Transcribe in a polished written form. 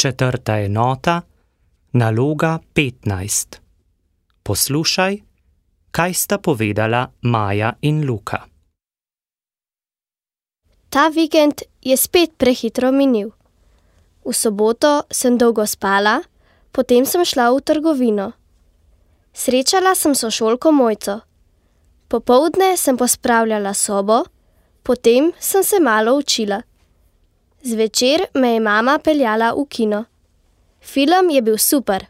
Četrta enota, naloga 15. Poslušaj, kaj sta povedala Maja in Luka. Ta vikend je spet prehitro minil. V soboto sem dolgo spala, potem sem šla v trgovino. Srečala sem sošolko Mojco. Popoldne sem pospravljala sobo, potem sem se malo učila. Zvečer me je mama peljala v kino. Film je bil super.